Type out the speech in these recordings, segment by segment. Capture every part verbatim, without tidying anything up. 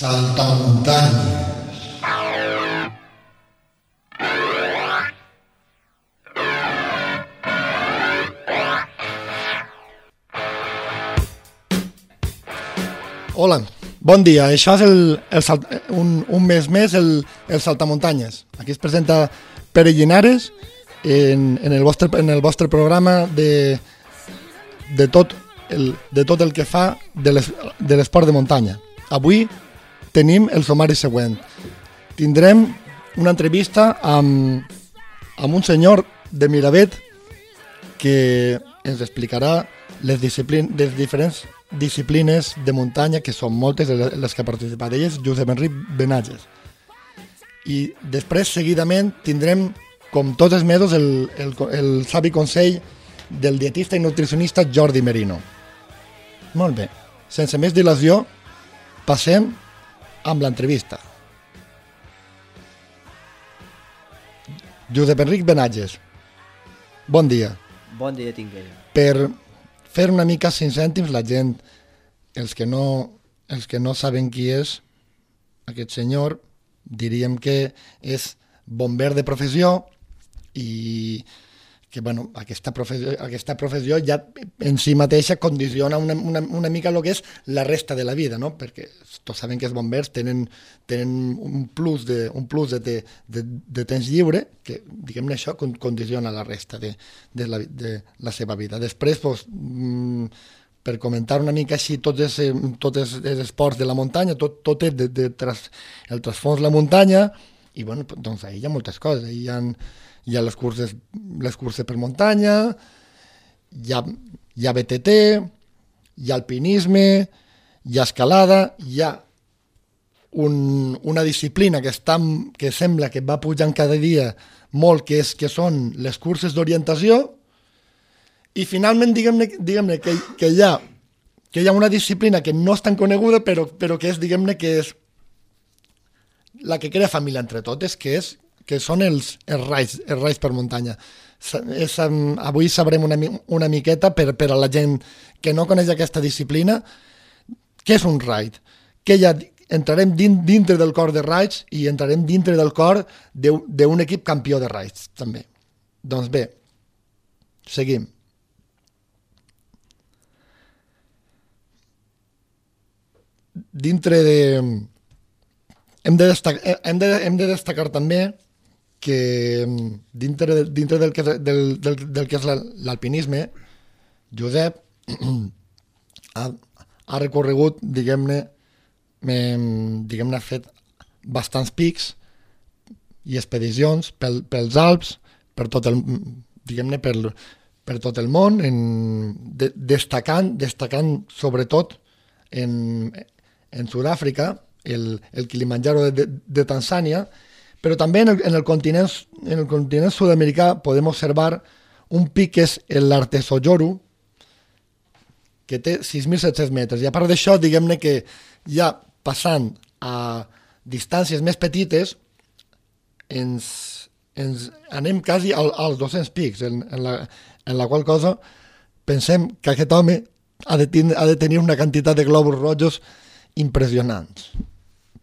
Saltamuntanyes. Hola, bon dia. Això és el, el salt, un, un mes més el, el Saltamuntanyes. Aquí es presenta Pere Llinares en, en, el vostre, en el vostre programa de, de, tot el, de tot el que fa de l'esport de muntanya. Avui tenim el sumari següent. Tindrem una entrevista amb, amb un senyor de Miravet que ens explicarà les, disciplin, les diferents disciplines de muntanya, que són moltes les que ha participat d'elles, Josep Enric Benatges. I després, seguidament, tindrem, com tots els mesos, el, el, el savi consell del dietista i nutricionista Jordi Merino. Molt bé, sense més dilació, passem amb l'entrevista. Josep Enric Benatges, bon dia. Bon dia tingueu. Per fer una mica cinc cèntims, la gent, els que no, els que no saben qui és aquest senyor, diríem que és bomber de professió i que bueno, aquesta, professió, aquesta professió ja en si mateixa condiciona una, una, una mica el que és la resta de la vida, no? Perquè tots saben que els bombers tenen, tenen un plus, de, un plus de, de, de temps lliure que, diguem-ne, això condiciona la resta de, de, la, de la seva vida. Després, doncs, per comentar una mica així tots els, tots els, els esports de la muntanya, tot, tot és de, de tras, el trasfons de la muntanya, i bueno, doncs ahí hi ha moltes coses. Ahí hi ha, hi ha les curses, les curses per muntanya, hi ha, hi ha B T T, hi ha alpinisme, hi ha escalada, hi ha un, una disciplina que, està, que sembla que va pujant cada dia molt, que, és, que són les curses d'orientació, i finalment diguem-ne diguem que, que, hi ha, que hi ha una disciplina que no és tan coneguda, però, però que és, diguem-ne, que és la que crea família entre totes, que és que són els, els, raids, els raids per muntanya. És, um, avui sabrem una, una miqueta per, per a la gent que no coneix aquesta disciplina què és un raid, que ja entrarem din, dintre del cor de raids i entrarem dintre del cor d'un equip campió de raids també. Doncs bé, seguim. Dintre de... Hem de destacar, hem de, hem de destacar també que dintre, de, dintre del, que, del, del, del que és l'alpinisme, Josep ha, ha recorregut, diguem-ne, diguem-ne, ha fet bastants pics i expedicions pel, pels Alps, per tot el, diguem-ne, per, per tot el món, en, de, destacant, destacant sobretot en, en Sud-àfrica, el, el Kilimanjaro de, de, de Tanzània, però també en el, en el continent, en el continent sud-americà podem observar un pic que és l'Artesojoro, que té sis mil set-cents metres. I a part d'això, diguem-ne que ja passant a distàncies més petites, ens, ens anem quasi al, als dos-cents pics, en, en, la, en la qual cosa pensem que aquest home ha de, ten, ha de tenir una quantitat de globus rojos impressionants.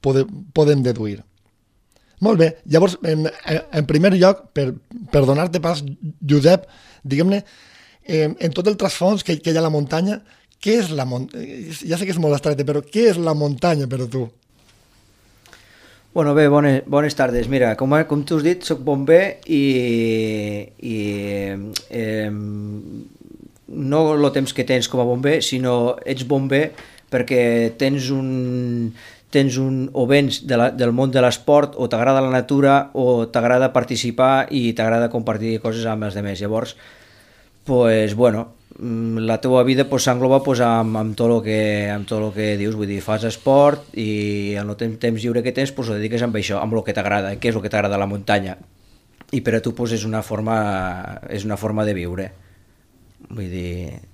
Podem, podem deduir. Molt bé, llavors, en, en primer lloc, per, per donar-te pas, Josep, diguem-ne, eh, en tot el trasfons que, que hi ha a la muntanya, què és la muntanya? Ja sé que és molt estreta, però què és la muntanya per a tu? Bueno, bé, bones, bones tardes. Mira, com, com tu has dit, soc bomber i, i eh, no el temps que tens com a bomber, sinó ets bomber perquè tens un... tens un, o vens de la, del món de l'esport, o t'agrada la natura, o t'agrada participar i t'agrada compartir coses amb els altres. Llavors, pues, bueno, la teva vida pues, s'engloba pues, amb, amb, tot el que, amb tot el que dius, vull dir, fas esport i en el temps lliure que tens pues, ho dediques amb això, amb el que t'agrada, què és el que t'agrada a la muntanya. I per a tu pues, és, una forma, és una forma de viure. Vull dir...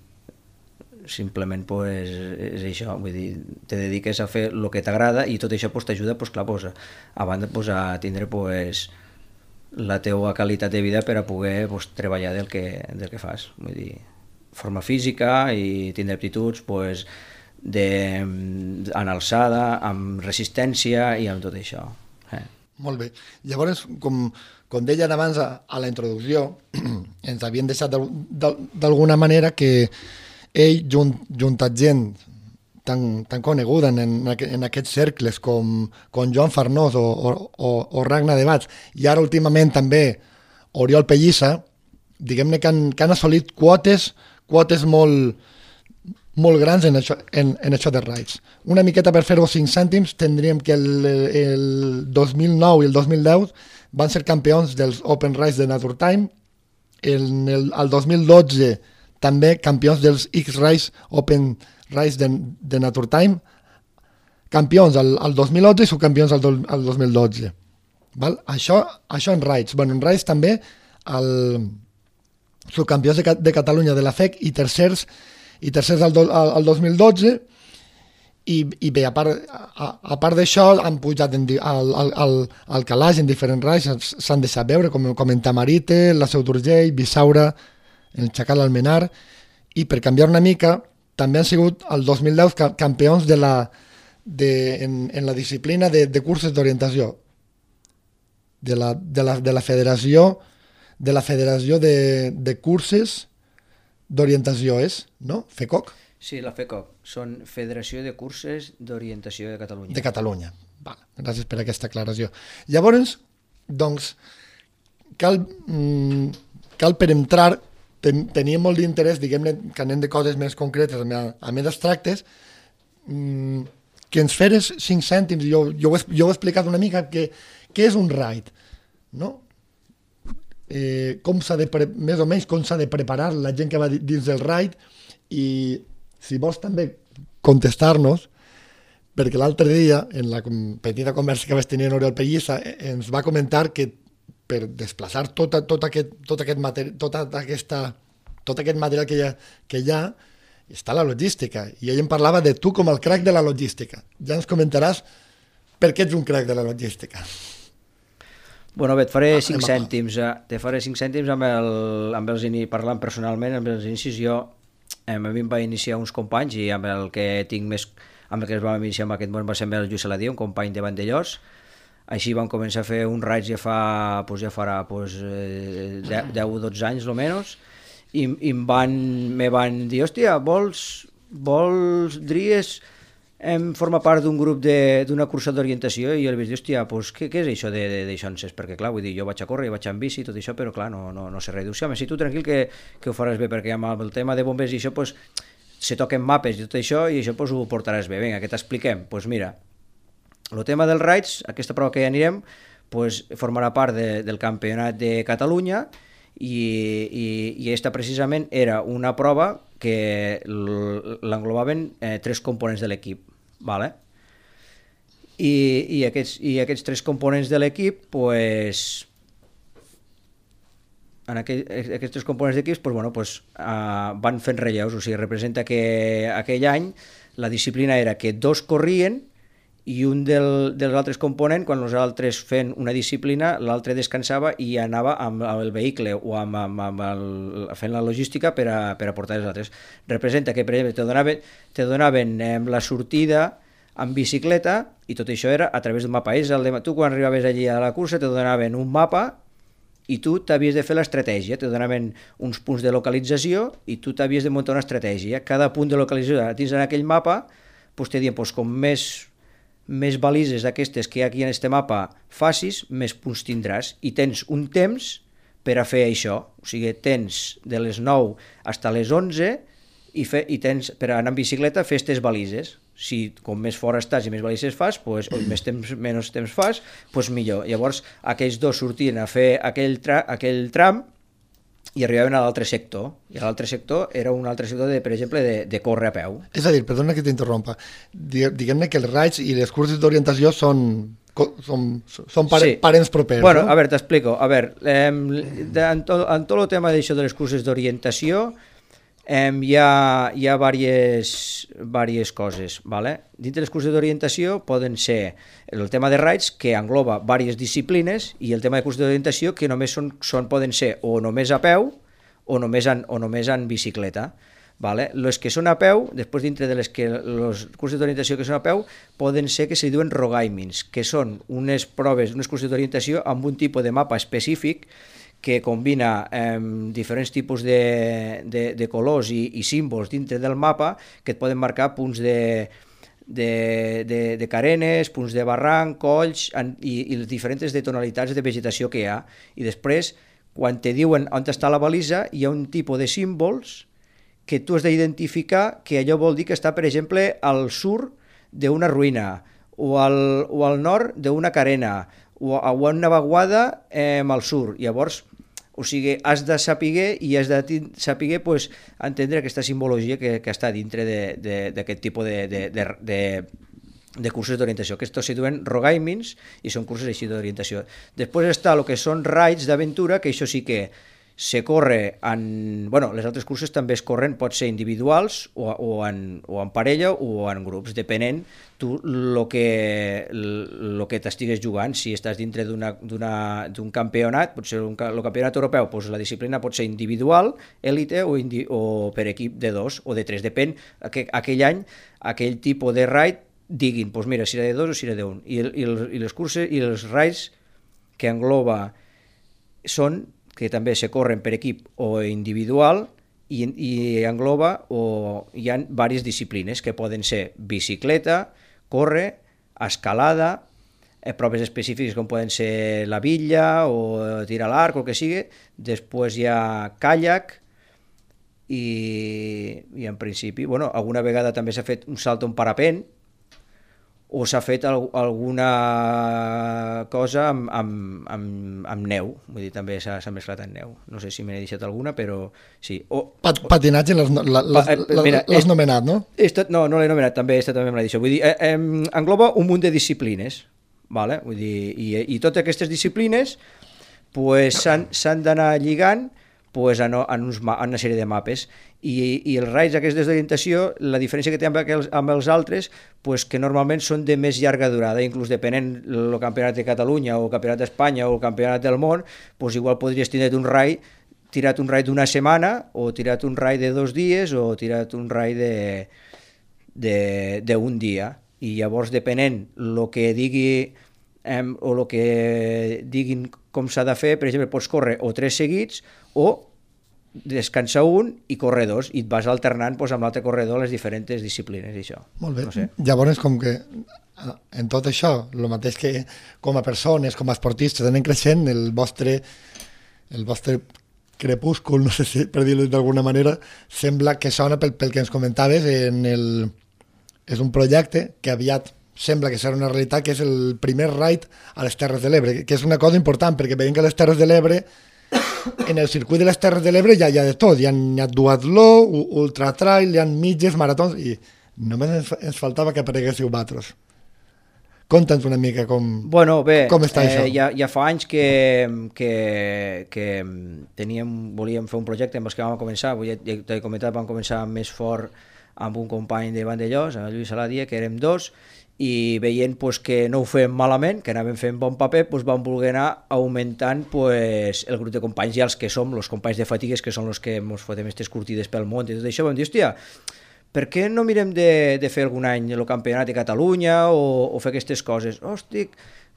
simplement pues, és això, vull dir, te dediques a fer el que t'agrada i tot això pues, t'ajuda pues, clar, pues, a banda pues, a tindre pues, la teua qualitat de vida per a poder pues, treballar del que, del que fas, vull dir, forma física i tindre aptituds, pues, de, en alçada, amb resistència i amb tot això. Eh. Molt bé. Llavors, com, com deien abans a, a la introducció, ens havien deixat d'alguna manera que ell, junt, junt a gent tan, tan coneguda en, en aquests cercles com, com Joan Farnós o, o, o Ragnar de Bats, i ara últimament també Oriol Pellissa, diguem-ne que, han, que han assolit quotes, quotes molt, molt grans en això, en, en això de raids. Una miqueta per fer-ho cinc cèntims, tindríem que el, el dos mil nou i el dos mil deu van ser campions dels Open Raids de Nature Time, el, el, el dos mil dotze també campions dels X-Raids Open Raids de, de Nature Time, campions al, al dos mil onze i subcampions al, do, al dos mil dotze. Val? Això, això en raids. Bueno, en raids també el subcampions de, de Catalunya de la F E C i tercers i tercers al, do, al, al dos mil dotze i, i bé, a part, a, a part d'això han pujat en, al, al, al, al calaix en diferents raids, s'han deixat veure com, com en Tamarite, la Seu d'Urgell, Bissaura, el Chacal Almenar, i per canviar una mica també han sigut el dos mil deu campions de la, de, en, en la disciplina de, de curses d'orientació de la, de, la, de la federació de la federació de, de curses d'orientació és, no? FECOC? Sí, la FECOC. Són Federació de Curses d'Orientació de Catalunya. De Catalunya. Val. Gràcies per aquesta aclaració. Llavors, doncs, cal, mm, cal per entrar, ten, tenia molt d'interès, diguem-ne, que anem de coses més concretes, a, a més abstractes, mm, que ens feres cinc cèntims, jo, jo, ho he, jo ho he explicat una mica, que, què és un raid, no? Eh, com s'ha de pre- més o menys com s'ha de preparar la gent que va dins del raid, i si vols també contestar-nos, perquè l'altre dia en la petita conversa que vaig tenir amb Oriol Pellissa ens va comentar que per desplaçar tot, tot, aquest, tot, aquest, materi- tota aquesta, tot aquest material que hi, ha, que hi ha està la logística, i ell em parlava de tu com el crac de la logística. Ja ens comentaràs per què ets un crac de la logística. Bueno, bé, et faré cinc cèntims, eh? te faré cinc cèntims amb, el, amb els inicis, parlant personalment, amb els inicis jo, eh, a mi em va iniciar uns companys, i amb el que tinc més, amb el que es va iniciar en aquest món va ser amb el Lluís Saladí, un company de Vandellós. Així vam començar a fer un raig ja fa, pues ja farà pues, eh, deu o dotze anys, almenys, i, i em van, me van dir, hòstia, vols, vols, dries... em forma part d'un grup d'una cursa d'orientació, i jo li vaig dir, hòstia, pues, què, què és això d'això? Perquè clar, vull dir, jo vaig a córrer, vaig en bici i tot això, però clar, no, no, no sé res. Diu, sí, home, si tu tranquil que, que ho faràs bé, perquè amb el tema de bombers i això, pues, se toquen mapes i tot això, i això pues, ho portaràs bé. Vinga, què t'expliquem? Pues mira, el tema dels raids, aquesta prova que ja anirem, pues, formarà part de, del Campionat de Catalunya, i, i, i aquesta precisament era una prova que l'englobaven eh, tres components de l'equip. Vale? I, i, aquests, i aquests tres components de l'equip, pues, en aquell, aquests tres components d'equips pues, bueno, pues, uh, van fent relleus, o sigui, representa que aquell any la disciplina era que dos corrien i un del, dels altres components, quan els altres fent una disciplina, l'altre descansava i anava amb, amb el vehicle o amb, amb, amb el, fent la logística per a, per a portar els altres. Representa que, per exemple, te donaven, te donaven eh, la sortida en bicicleta, i tot això era a través d'un mapa. És el de, tu quan arribaves allí a la cursa te donaven un mapa i tu t'havies de fer l'estratègia, te donaven uns punts de localització i tu t'havies de muntar una estratègia. Cada punt de localització dins d'aquell mapa pues, te diuen pues, com més més balises d'aquestes que hi ha aquí en este mapa facis, més punts tindràs, i tens un temps per a fer això, o sigui, tens de les nou fins a les onze i, fe, i tens per anar en bicicleta fer aquestes balises. Si com més fora estàs i més balises fas, pues, o més temps, menys temps fas, pues millor. Llavors aquells dos sortien a fer aquell, tra aquell tram i arribaven a l'altre sector, i a l'altre sector era un altre sector, de, per exemple, de, de córrer a peu. És a dir, perdona que t'interrompa, diguem-ne que els raids i les curses d'orientació són, són, són pare, sí. parents propers. Bueno, no? A veure, t'explico. A veure, eh, en, tot, en tot el tema d'això de les curses d'orientació eh, hi ha, hi ha diverses, diverses coses. ¿Vale? Dintre les curses d'orientació poden ser el tema de raids, que engloba diverses disciplines, i el tema de curses d'orientació, que només són, són, poden ser o només a peu o només en, o només en bicicleta. Vale? Les que són a peu, després dintre de les que els cursos d'orientació que són a peu, poden ser que se diuen rogaimins, que són unes proves, unes cursos d'orientació amb un tipus de mapa específic que combina eh, diferents tipus de, de, de colors i, i símbols dintre del mapa que et poden marcar punts de, de, de, de carenes, punts de barranc, colls en, i, i les diferents de tonalitats de vegetació que hi ha. I després, quan te diuen on està la balisa, hi ha un tipus de símbols que tu has d'identificar que allò vol dir que està, per exemple, al sud d'una ruïna o al, o al nord d'una carena o a una vaguada eh, al sud. Llavors, o sigui, has de saber i has de saber pues, entendre aquesta simbologia que, que està dintre d'aquest tipus de, de, de, de, de cursos d'orientació. Aquests se diuen rogaimins i són cursos així d'orientació. Després està el que són raids d'aventura, que això sí que se corre en... Bueno, les altres curses també es corren, pot ser individuals o, o, en, o en parella o en grups, depenent tu el que, lo que t'estigues jugant. Si estàs dintre d'un campionat, pot ser un, el campionat europeu, doncs la disciplina pot ser individual, élite o, indi, o per equip de dos o de tres, depèn aqu aquell any, aquell tipus de raid diguin, doncs mira, si era de dos o si era d'un. I, i, i les curses i els raids que engloba són que també se corren per equip o individual i, i engloba o hi ha diverses disciplines que poden ser bicicleta, córrer, escalada, eh, proves específiques com poden ser la bitlla o tirar a l'arc o el que sigui. Després hi ha kayak i, i en principi, bueno, alguna vegada també s'ha fet un salt en parapent o s'ha fet al, alguna cosa amb, amb, amb, amb neu, vull dir, també s'ha mesclat amb neu. No sé si me n'he deixat alguna, però sí. O, Pat, patinatge l'has nomenat, no? Estat, no, no l'he nomenat, també, esta també me l'he dit. Vull dir, eh, eh, engloba un munt de disciplines, vale? Vull dir, i, i totes aquestes disciplines pues, s'han d'anar lligant pues, en, en, uns, en una sèrie de mapes. I, i els raids aquests d'orientació, la diferència que té amb, aquels, amb els altres, pues, que normalment són de més llarga durada, inclús depenent del campionat de Catalunya o el campionat d'Espanya o el campionat del món, pues, igual podries tenir un raid, tirat un raid d'una setmana o tirat un raid de dos dies o tirat un raid d'un dia. I llavors, depenent el que digui eh, o el que diguin com s'ha de fer, per exemple, pots córrer o tres seguits o descansar un i correr dos, i et vas alternant pues, amb l'altre corredor les diferents disciplines i això. Molt bé. No sé. Llavors, com que en tot això, el mateix que com a persones, com a esportistes, anem creixent, el vostre, el vostre crepúscul, no sé si per dir-ho d'alguna manera, sembla que sona pel, pel que ens comentaves, en el, és un projecte que aviat sembla que serà una realitat, que és el primer raid a les Terres de l'Ebre, que és una cosa important, perquè veiem que les Terres de l'Ebre en el circuit de les Terres de l'Ebre ja hi ha de tot, hi ha, hi ha duatló, ultratrail, hi ha mitges, maratons, i només ens, ens faltava que apareguéssiu vosaltres. Conta'ns una mica com, bueno, bé, com està eh, això. Ja, ja fa anys que, que, que teníem, volíem fer un projecte amb els que vam començar, ja t'he comentat, vam començar més fort amb un company de Vandellós, amb el Lluís Saladia, que érem dos, i veient pues, que no ho fèiem malament, que anàvem fent bon paper, pues, vam voler anar augmentant pues, el grup de companys i els que som, els companys de fatigues, que són els que ens fotem aquestes curtides pel món i tot això, vam dir, hòstia, per què no mirem de, de fer algun any el campionat de Catalunya o, o fer aquestes coses? Hòstia,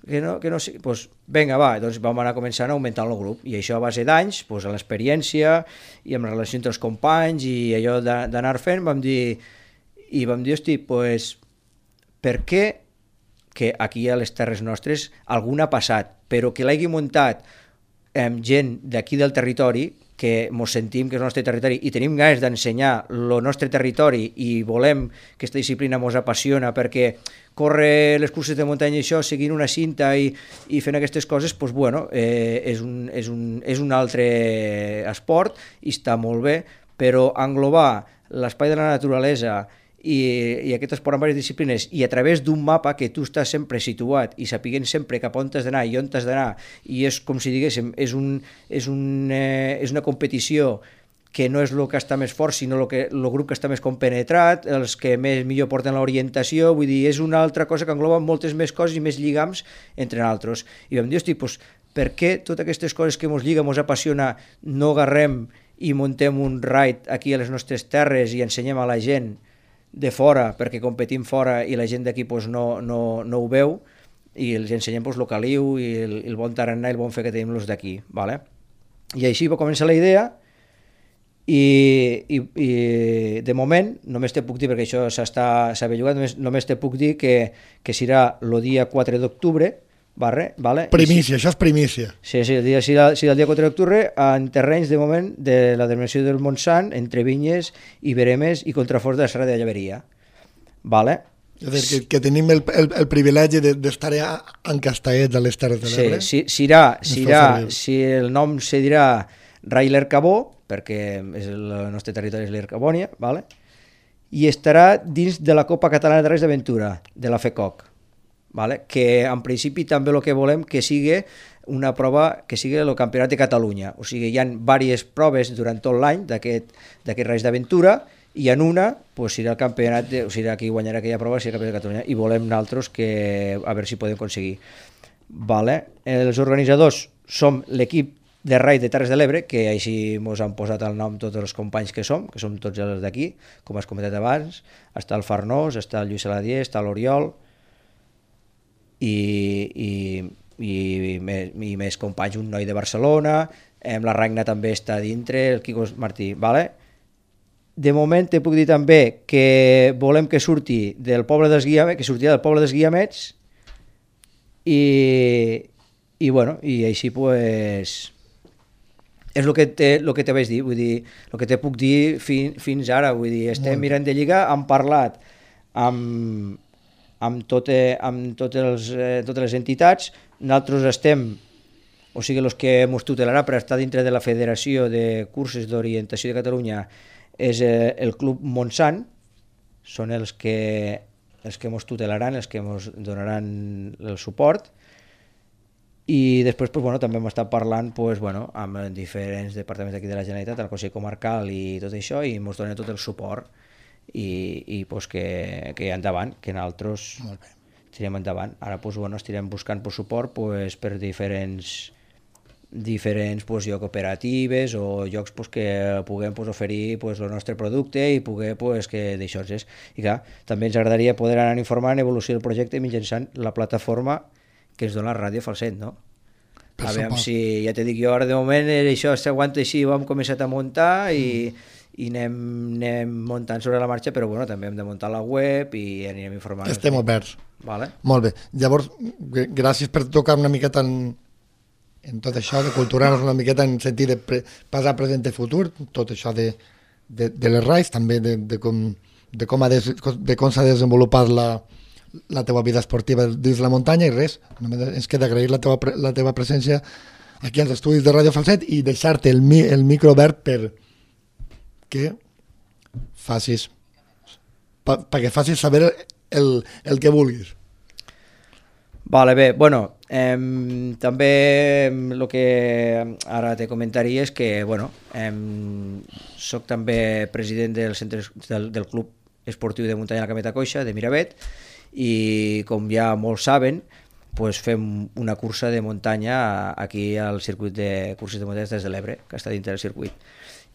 que no, que no sé... Pues, vinga, va, doncs vam anar començant a augmentar el grup, i això a base d'anys, pues, a l'experiència i amb la relació entre els companys i allò d'anar fent, vam dir, i vam dir, hòstia, pues, per què que aquí a les terres nostres algun ha passat, però que l'hagi muntat eh, gent d'aquí del territori, que ens sentim que és el nostre territori i tenim ganes d'ensenyar el nostre territori i volem que aquesta disciplina ens apassiona, perquè córrer les curses de muntanya i això, seguint una cinta i, i fent aquestes coses, doncs, bueno, eh, és, un, és, un, és un altre esport i està molt bé, però englobar l'espai de la naturalesa i, i aquest esport amb diverses disciplines i a través d'un mapa que tu estàs sempre situat i sapiguent sempre cap on t'has d'anar i on t'has d'anar, i és com si diguéssim, és, un, és, un, eh, és una competició que no és el que està més fort, sinó el, que, el grup que està més compenetrat, els que més millor porten l'orientació, vull dir, és una altra cosa que engloba moltes més coses i més lligams entre nosaltres. I vam dir, hosti, doncs, per què totes aquestes coses que ens lliguen, ens apassiona, no agarrem i muntem un raid aquí a les nostres terres i ensenyem a la gent de fora, perquè competim fora i la gent d'aquí pues, no, no, no ho veu, i els ensenyem pues, el caliu i el, el bon tarannà i el bon fer que tenim los d'aquí. Vale? I així va començar la idea, i, i, i de moment només te puc dir, perquè això s'ha bellugat, només, només te puc dir que, que serà el dia quatre d'octubre. Vale, vale. Primícia, si, això és primícia. Sí, sí, el dia, si, el, si el dia quatre d'octubre en terrenys de moment de la denominació del Montsant, entre vinyes i veremes i contraforts de la Serra de Llaveria. Vale? És a dir, que, que tenim el, el, el privilegi d'estar de, encastallets a les Terres de l'Ebre. Sí, si, serà, serà, si el nom se dirà Rai l'Ercabó, perquè és el nostre territori és l'Ercabònia, vale? I estarà dins de la Copa Catalana de Reis d'Aventura, de la FECOC. Vale? Que en principi també el que volem que sigui una prova que sigui el Campionat de Catalunya, o sigui, hi ha diverses proves durant tot l'any d'aquest Reis d'Aventura i en una pues, serà el campionat, de, o sigui, qui guanyarà aquella prova serà el Campionat de Catalunya i volem nosaltres que a veure si podem aconseguir. Vale? Els organitzadors som l'equip de Raid de Terres de l'Ebre, que així ens han posat el nom tots els companys que som, que som tots els d'aquí, com has comentat abans, està el Farnós, està el Lluís Saladier, està l'Oriol, i, i, i, més, i més companys, un noi de Barcelona, eh, la Ragna també està dintre, el Quico Martí, vale? De moment te puc dir també que volem que surti del poble dels Guiamets, que sortirà del poble dels Guiamets, i, i bueno, i així pues és el que te, lo que te vaig dir, vull dir, el que te puc dir fin, fins ara, vull dir, estem mirant de lligar, hem parlat amb amb, tot, amb totes, els, eh, totes les entitats, nosaltres estem, o sigui, els que ens tutelarà per estar dintre de la Federació de Curses d'Orientació de Catalunya és eh, el Club Montsant, són els que els que ens tutelaran, els que ens donaran el suport, i després pues, bueno, també hem estat parlant pues, bueno, amb diferents departaments d'aquí de la Generalitat, el Consell Comarcal i tot això, i ens donen tot el suport. i, i pues, que, que endavant, que nosaltres tirem endavant. Ara pues, bueno, estirem buscant pues, suport pues, per diferents diferents pues, llocs cooperatives o llocs pues, que puguem pues, oferir pues, el nostre producte i poder pues, que d'això és. I clar, també ens agradaria poder anar informant l'evolució del projecte mitjançant la plataforma que ens dona la Ràdio Falset, no? A veure si, ja te dic jo, ara de moment això s'aguanta així, ho hem començat a muntar i mm. i anem, anem muntant sobre la marxa, però bueno, també hem de muntar la web i anirem informant. Estem oberts. Vale. Molt bé. Llavors, gràcies per tocar una miqueta en, en tot això, de culturar-nos una miqueta en sentit de pre, passar, present i futur, tot això de, de, de les raids, també de, de com, de com, ha des, de com s'ha desenvolupat la, la teva vida esportiva dins la muntanya i res, només ens queda agrair la teva, la teva presència aquí als estudis de Ràdio Falset i deixar-te el, el micro obert per que facis pa, perquè facis saber el, el que vulguis. Vale, bé, bueno, eh, també el que ara te comentaria és que, bueno, eh, soc també president del, centre, del, del Club Esportiu de Muntanya de la Cameta Coixa, de Miravet, i com ja molts saben, pues fem una cursa de muntanya aquí al circuit de curses de muntanya des de l'Ebre, que està dintre del circuit.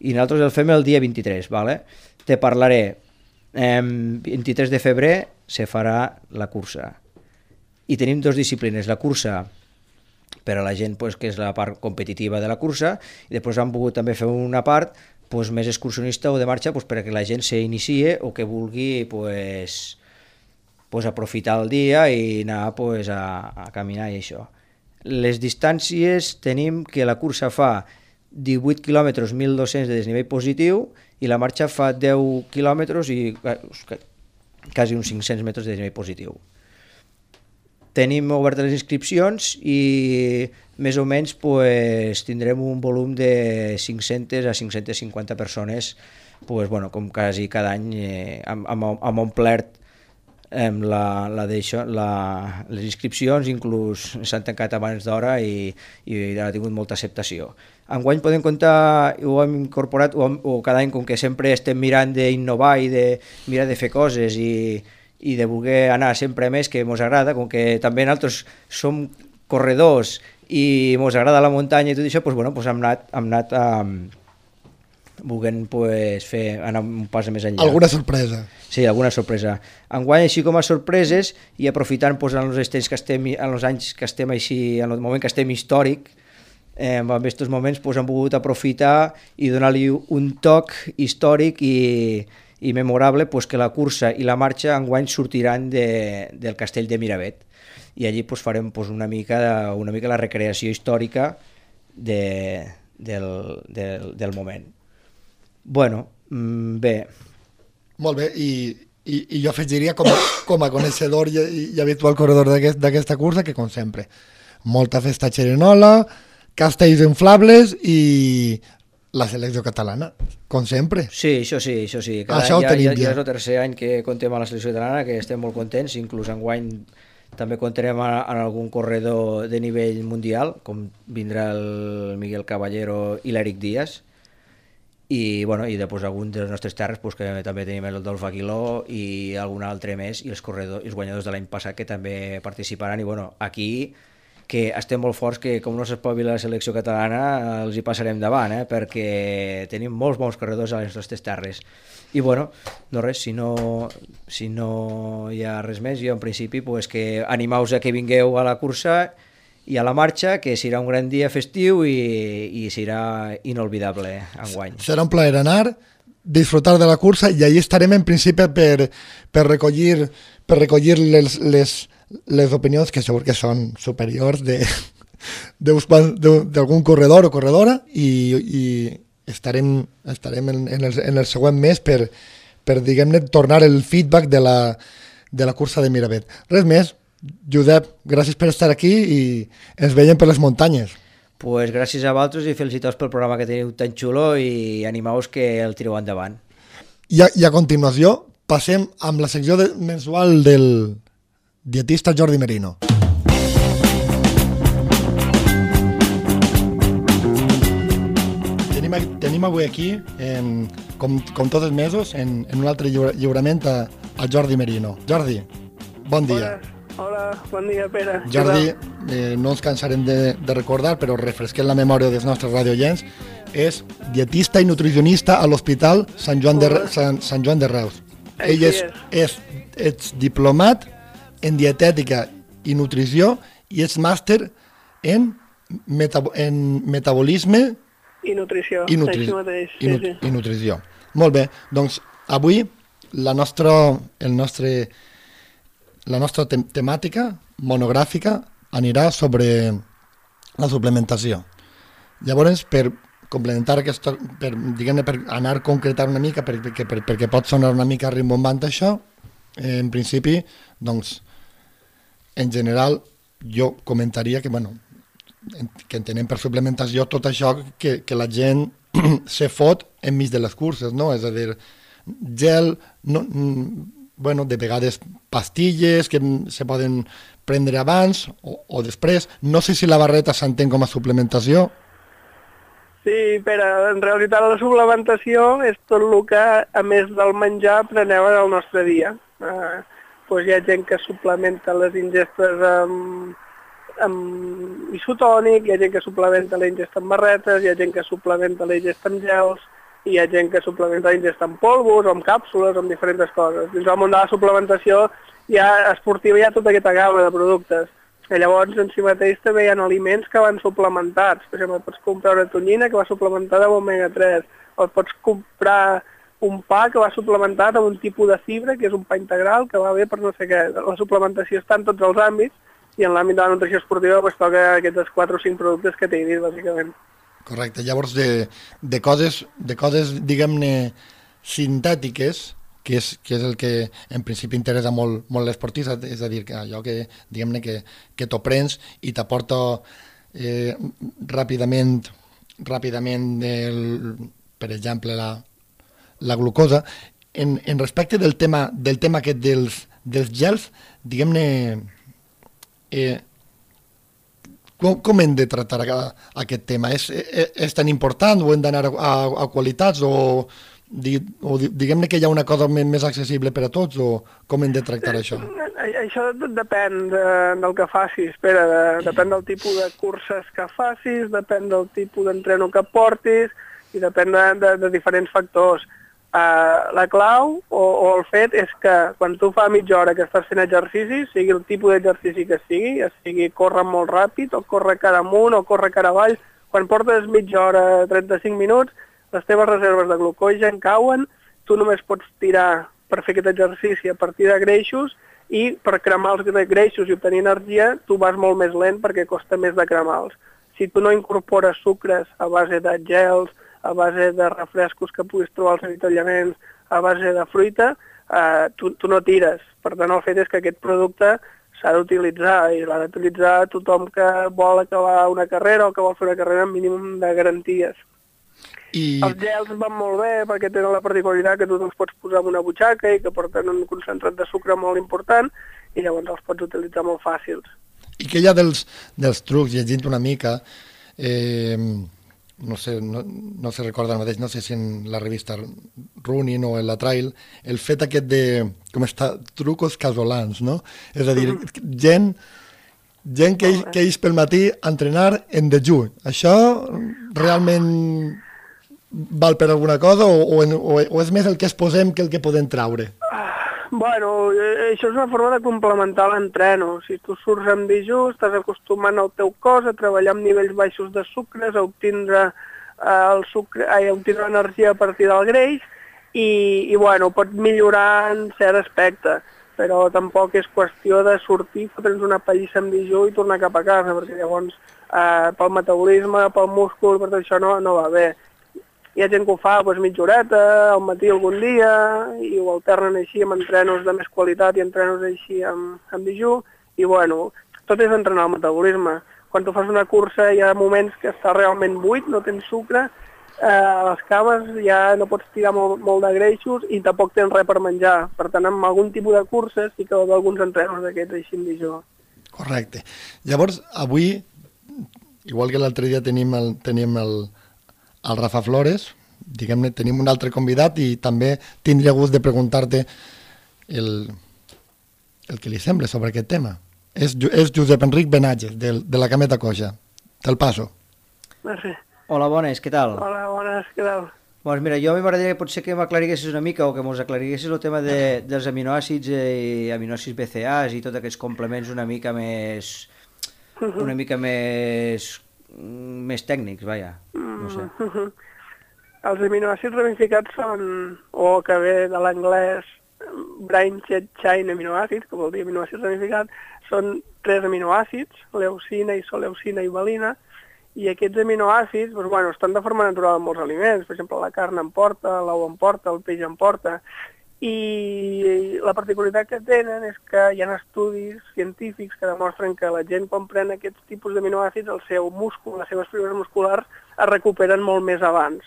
I nosaltres el fem el dia vint-i-tres, vale? Te parlaré, eh, vint-i-tres de febrer se farà la cursa i tenim dues disciplines, la cursa per a la gent pues, que és la part competitiva de la cursa i després han volgut també fer una part pues, més excursionista o de marxa pues, perquè la gent s'inicie o que vulgui pues, pues, aprofitar el dia i anar pues, a, a caminar i això. Les distàncies tenim que la cursa fa divuit quilòmetres, mil dos-cents de desnivell positiu i la marxa fa deu quilòmetres i quasi uns cinc-cents metres de desnivell positiu. Tenim obertes les inscripcions i més o menys pues, tindrem un volum de cinc-centes a cinc-centes cinquanta persones pues, bueno, com quasi cada any eh, amb, amb, amb omplert eh, la, la la, les inscripcions, inclús s'han tancat abans d'hora i, i ha tingut molta acceptació. Enguany podem comptar, ho hem incorporat, o, o cada any, com que sempre estem mirant d'innovar i de mirar de fer coses i, i de voler anar sempre més, que ens agrada, com que també nosaltres som corredors i ens agrada la muntanya i tot això, doncs, bueno, doncs hem anat, hem anat a, vulguem pues, fer, anar un pas més enllà. Alguna sorpresa. Sí, alguna sorpresa. Enguany, així com a sorpreses, i aprofitant pues, en els estells que estem, en els anys que estem així, en el moment que estem històric, eh, en aquests moments pues, hem volgut aprofitar i donar-li un toc històric i, i memorable pues, que la cursa i la marxa enguany sortiran de, del castell de Miravet. I allí pues, farem pues, una, mica, una mica la recreació històrica de, del, del, del moment. Bueno, bé. Molt bé, i, i, i jo afegiria com a, com a coneixedor i, i habitual corredor d'aquesta aquest, cursa que, com sempre, molta festa xerinola, castells inflables i la selecció catalana, com sempre. Sí, això sí, això sí. Cada això any, ho tenim ja, ja. Ja és el tercer any que contem a la selecció catalana, que estem molt contents, inclús enguany també comptarem en algun corredor de nivell mundial, com vindrà el Miguel Caballero i l'Eric Díaz, i, bueno, i després algun de les nostres terres pues, que també tenim el Dolf Aguiló i algun altre més, i els, corredors, els guanyadors de l'any passat que també participaran, i bueno, aquí que estem molt forts, que com no s'espavila la selecció catalana els hi passarem davant, eh? Perquè tenim molts bons corredors a les nostres terres. I bueno, no res, si no, si no hi ha res més, jo en principi pues, que animeu-vos a que vingueu a la cursa i a la marxa, que serà un gran dia festiu i, i serà inolvidable enguany. Serà un plaer anar, disfrutar de la cursa, i allí estarem en principi per, per recollir, per recollir les, les, les opinions que segur que són superiors de, d'algun corredor o corredora, i, i estarem, estarem en, en, el, en el següent mes per, per diguem-ne, tornar el feedback de la, de la cursa de Miravet. Res més. Josep, gràcies per estar aquí i ens veiem per les muntanyes. Pues gràcies a vosaltres i felicitats pel programa que teniu tan xulo i animeu-vos que el tireu endavant. I a, i a continuació passem amb la secció de, mensual del dietista Jordi Merino. Tenim, tenim avui aquí, en, com, com tots els mesos, en, en un altre lliura, lliurament a, a Jordi Merino. Jordi, bon dia. Hola. Hola, bon dia, Pere. Jordi, eh, no ens cansarem de, de recordar, però refresquem la memòria dels nostres radioients, és dietista i nutricionista a l'Hospital Sant Joan de, Sant, Sant Joan de Reus. Ell és, és, és diplomat en dietètica i nutrició i és màster en, metab en metabolisme i nutrició. I, nutri mateix. i, nut sí, sí. i nutrició. Molt bé, doncs avui la nostra, el nostre... La nostra te temàtica monogràfica anirà sobre la suplementació. Llavors, per complementar aquesta, per, diguem-ne, per anar a concretar una mica, perquè, per, perquè pot sonar una mica rimbombant això, eh, en principi, doncs, en general, jo comentaria que, bueno, que entenem per suplementació tot això que, que la gent se fot enmig de les curses, no? És a dir, gel... No, bueno, de vegades pastilles que se poden prendre abans o, o després. No sé si la barreta s'entén com a suplementació. Sí, però en realitat la suplementació és tot el que, a més del menjar, preneu en el nostre dia. Eh, doncs hi ha gent que suplementa les ingestes amb, amb isotònic, hi ha gent que suplementa la ingesta amb barretes, hi ha gent que suplementa la ingesta amb gels, hi ha gent que suplementa la ingesta amb polvos, o amb càpsules, o amb diferents coses. Dins del món de la suplementació ja esportiva hi ha tota aquesta gamma de productes. I llavors, en si mateix també hi ha aliments que van suplementats. Per exemple, pots comprar una tonyina que va suplementada amb omega tres, o pots comprar un pa que va suplementat amb un tipus de fibra, que és un pa integral, que va bé per no sé què. La suplementació està en tots els àmbits, i en l'àmbit de la nutrició esportiva pues, toca aquests quatre o cinc productes que t'he dit, bàsicament. Correcte, llavors de, de coses, de coses diguem-ne, sintètiques, que és, que és el que en principi interessa molt, molt l'esportista, és a dir, que allò que, diguem-ne, que, que t'ho prens i t'aporta eh, ràpidament, ràpidament el, per exemple, la, la glucosa. En, en respecte del tema, del tema aquest dels, dels gels, diguem-ne, eh, Com, com hem de tractar aquest tema? És, és, és tan important o hem d'anar a, a, a qualitats o, di, o diguem-ne que hi ha una cosa més, més accessible per a tots o com hem de tractar això? Això depèn de, del que facis, Pere, de, depèn del tipus de curses que facis, depèn del tipus d'entreno que portis, i depèn de, de, de diferents factors. Uh, la clau o, o el fet és que quan tu fa mitja hora que estàs fent exercici, sigui el tipus d'exercici que sigui, ja sigui córrer molt ràpid o córrer cara amunt o córrer cara avall, quan portes mitja hora, trenta-cinc minuts, les teves reserves de glucogen cauen, tu només pots tirar per fer aquest exercici a partir de greixos i per cremar els greixos i obtenir energia tu vas molt més lent perquè costa més de cremar-los. Si tu no incorpores sucres a base de gels, a base de refrescos que puguis trobar als avituallaments, a base de fruita, eh, tu, tu no tires. Per tant, el fet és que aquest producte s'ha d'utilitzar i l'ha d'utilitzar tothom que vol acabar una carrera o que vol fer una carrera amb mínim de garanties. I... Els gels van molt bé perquè tenen la particularitat que tu els pots posar en una butxaca i que porten un concentrat de sucre molt important i llavors els pots utilitzar molt fàcils. I què hi ha dels, dels trucs, llegint una mica, eh, no sé, no, no se recorda el mateix, no sé si en la revista Running o en la Trail, el fet aquest de, com està, trucos casolans, no? És a dir, gent, gent que, que ix pel matí a entrenar en dejú. Això realment val per alguna cosa o, o, o, o és més el que es posem que el que podem traure? Bueno, això és una forma de complementar l'entreno. Si tu surts amb dejú, estàs acostumant el teu cos a treballar amb nivells baixos de sucres, a obtindre, eh, el sucre, ai, a obtindre energia a partir del greix i, i bueno, pot millorar en cert aspecte, però tampoc és qüestió de sortir, fotre'ns una pallissa amb dejú i tornar cap a casa, perquè llavors eh, pel metabolisme, pel múscul, per tot això no, no va bé. Hi ha gent que ho fa doncs, mitja horeta, al matí algun dia, i ho alternen així amb entrenos de més qualitat i entrenos així amb, amb dejú, i bueno, tot és entrenar el metabolisme. Quan tu fas una cursa hi ha moments que està realment buit, no tens sucre, eh, a les cames ja no pots tirar molt, molt de greixos i tampoc tens res per menjar. Per tant, amb algun tipus de curses sí que va haver alguns entrenos d'aquests així amb dejú. Correcte. Llavors, avui, igual que l'altre dia tenim el, tenim el el Rafa Flores, diguem-ne, tenim un altre convidat i també tindria gust de preguntar-te el, el que li sembla sobre aquest tema. És, és Josep Enric Benatges, de, de la Cameta Coixa. Te'l passo. Merci. Hola, bones, què tal? Hola, bones, què tal? Doncs mira, jo a mi m'agradaria potser que m'aclariguessis una mica o que mos aclariguessis el tema de, dels aminoàcids i aminoàcids B C As i tots aquests complements una mica més... una mica més... més tècnics, vaja, no sé. Mm-hmm. Els aminoàcids ramificats són, o que ve de l'anglès branched chain aminoàcids, que vol dir aminoàcids ramificats, són tres aminoàcids, leucina, isoleucina i valina, i aquests aminoàcids doncs, bueno, estan de forma natural en molts aliments, per exemple la carn en porta, l'ou en porta, el peix en porta, i la particularitat que tenen és que hi ha estudis científics que demostren que la gent quan pren aquests tipus d'aminoàcids, el seu múscul, les seves fibres musculars es recuperen molt més abans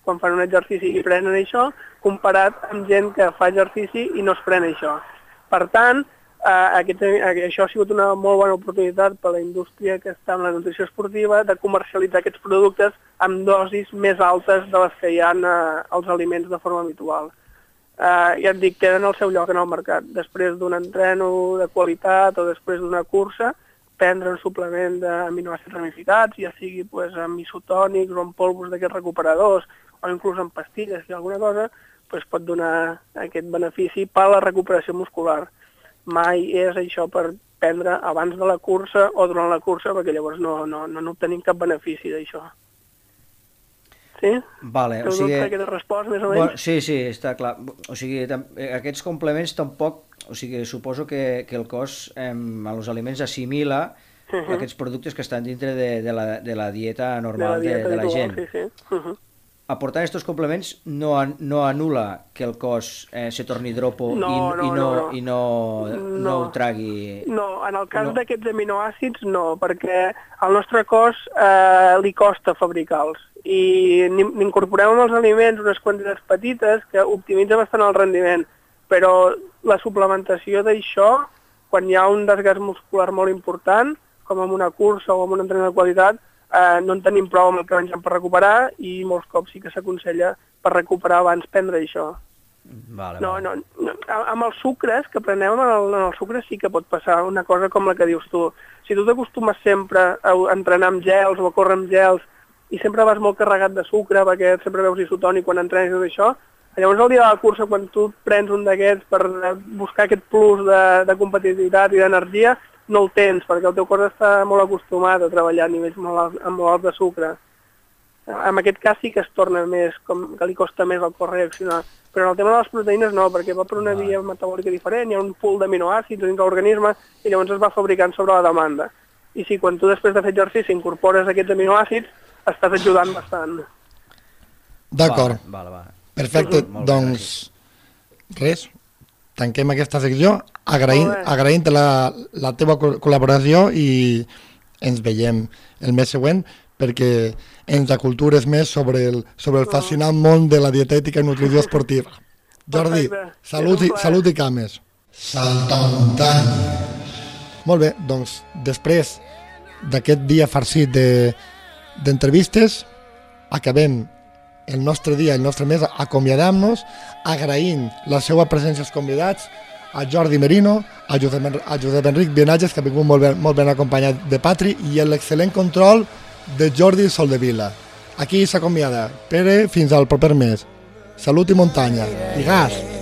quan fan un exercici i prenen això, comparat amb gent que fa exercici i no es pren això. Per tant, eh, aquest, això ha sigut una molt bona oportunitat per a la indústria que està en la nutrició esportiva de comercialitzar aquests productes amb dosis més altes de les que hi ha eh, als aliments de forma habitual. Uh, ja et dic, tenen el seu lloc en el mercat. Després d'un entreno de qualitat o després d'una cursa, prendre un suplement d'aminoàcids ramificats, ja sigui pues, amb isotònics o amb polvos d'aquests recuperadors, o inclús amb pastilles, si alguna cosa, pues, pot donar aquest benefici per a la recuperació muscular. Mai és això per prendre abans de la cursa o durant la cursa, perquè llavors no, no, no n'obtenim cap benefici d'això. Sí? Vale, o sigui... que t'he respost, més o menys? Bueno, sí, sí, està clar. O sigui, aquests complements tampoc... O sigui, suposo que, que el cos eh, als aliments assimila uh -huh. aquests productes que estan dintre de, de, la, de la dieta normal de la, dieta de, de la gent. Sí, sí. Uh -huh. Aportant aquests complements no, no anul·la que el cos eh, se torni dropo no, i, no, i, no, no, no. i no, no, no ho tragui... No, en el cas no. d'aquests aminoàcids no, perquè al nostre cos eh, li costa fabricar-los i n'incorporem en els aliments unes quantitats petites que optimitza bastant el rendiment, però la suplementació d'això, quan hi ha un desgast muscular molt important, com en una cursa o en un entrenament de qualitat, eh, no en tenim prou amb el que mengem per recuperar i molts cops sí que s'aconsella per recuperar abans prendre això. Vale, no, vale. no, no, amb els sucres que prenem, en, el, en els sucres sí que pot passar una cosa com la que dius tu. Si tu t'acostumes sempre a entrenar amb gels o a córrer amb gels i sempre vas molt carregat de sucre perquè sempre veus isotònic quan entrenes i tot això. Llavors el dia de la cursa, quan tu prens un d'aquests per buscar aquest plus de, de competitivitat i d'energia, no el tens, perquè el teu cos està molt acostumat a treballar a nivells molt alts, molt alts de sucre. En aquest cas sí que es torna més, com que li costa més al cos reaccionar. Però en el tema de les proteïnes no, perquè va per una via metabòlica diferent, hi ha un pool d'aminoàcids dins l'organisme i llavors es va fabricant sobre la demanda. I si quan tu després de fer exercici incorpores aquests aminoàcids, estàs ajudant bastant. D'acord. Vale, vale. Perfecte, Molt bé, doncs res, tanquem aquesta secció agraint, agraint la, la teva col·laboració i ens veiem el mes següent perquè ens acultures més sobre el, sobre el fascinant món de la dietètica i nutrició esportiva. Jordi, salut i, salut i cames. Saltamuntanyes. Molt bé, doncs després d'aquest dia farcit de, d'entrevistes acabem el nostre dia, el nostre mes, acomiadant-nos, agraint la seva presència als convidats, a Jordi Merino, a Josep, a Josep Enric Bienatges, que ha vingut molt ben, molt ben acompanyat de Patri, i l'excel·lent control de Jordi Soldevila. Aquí s'acomiada. Pere, fins al proper mes. Salut i muntanya. I gas!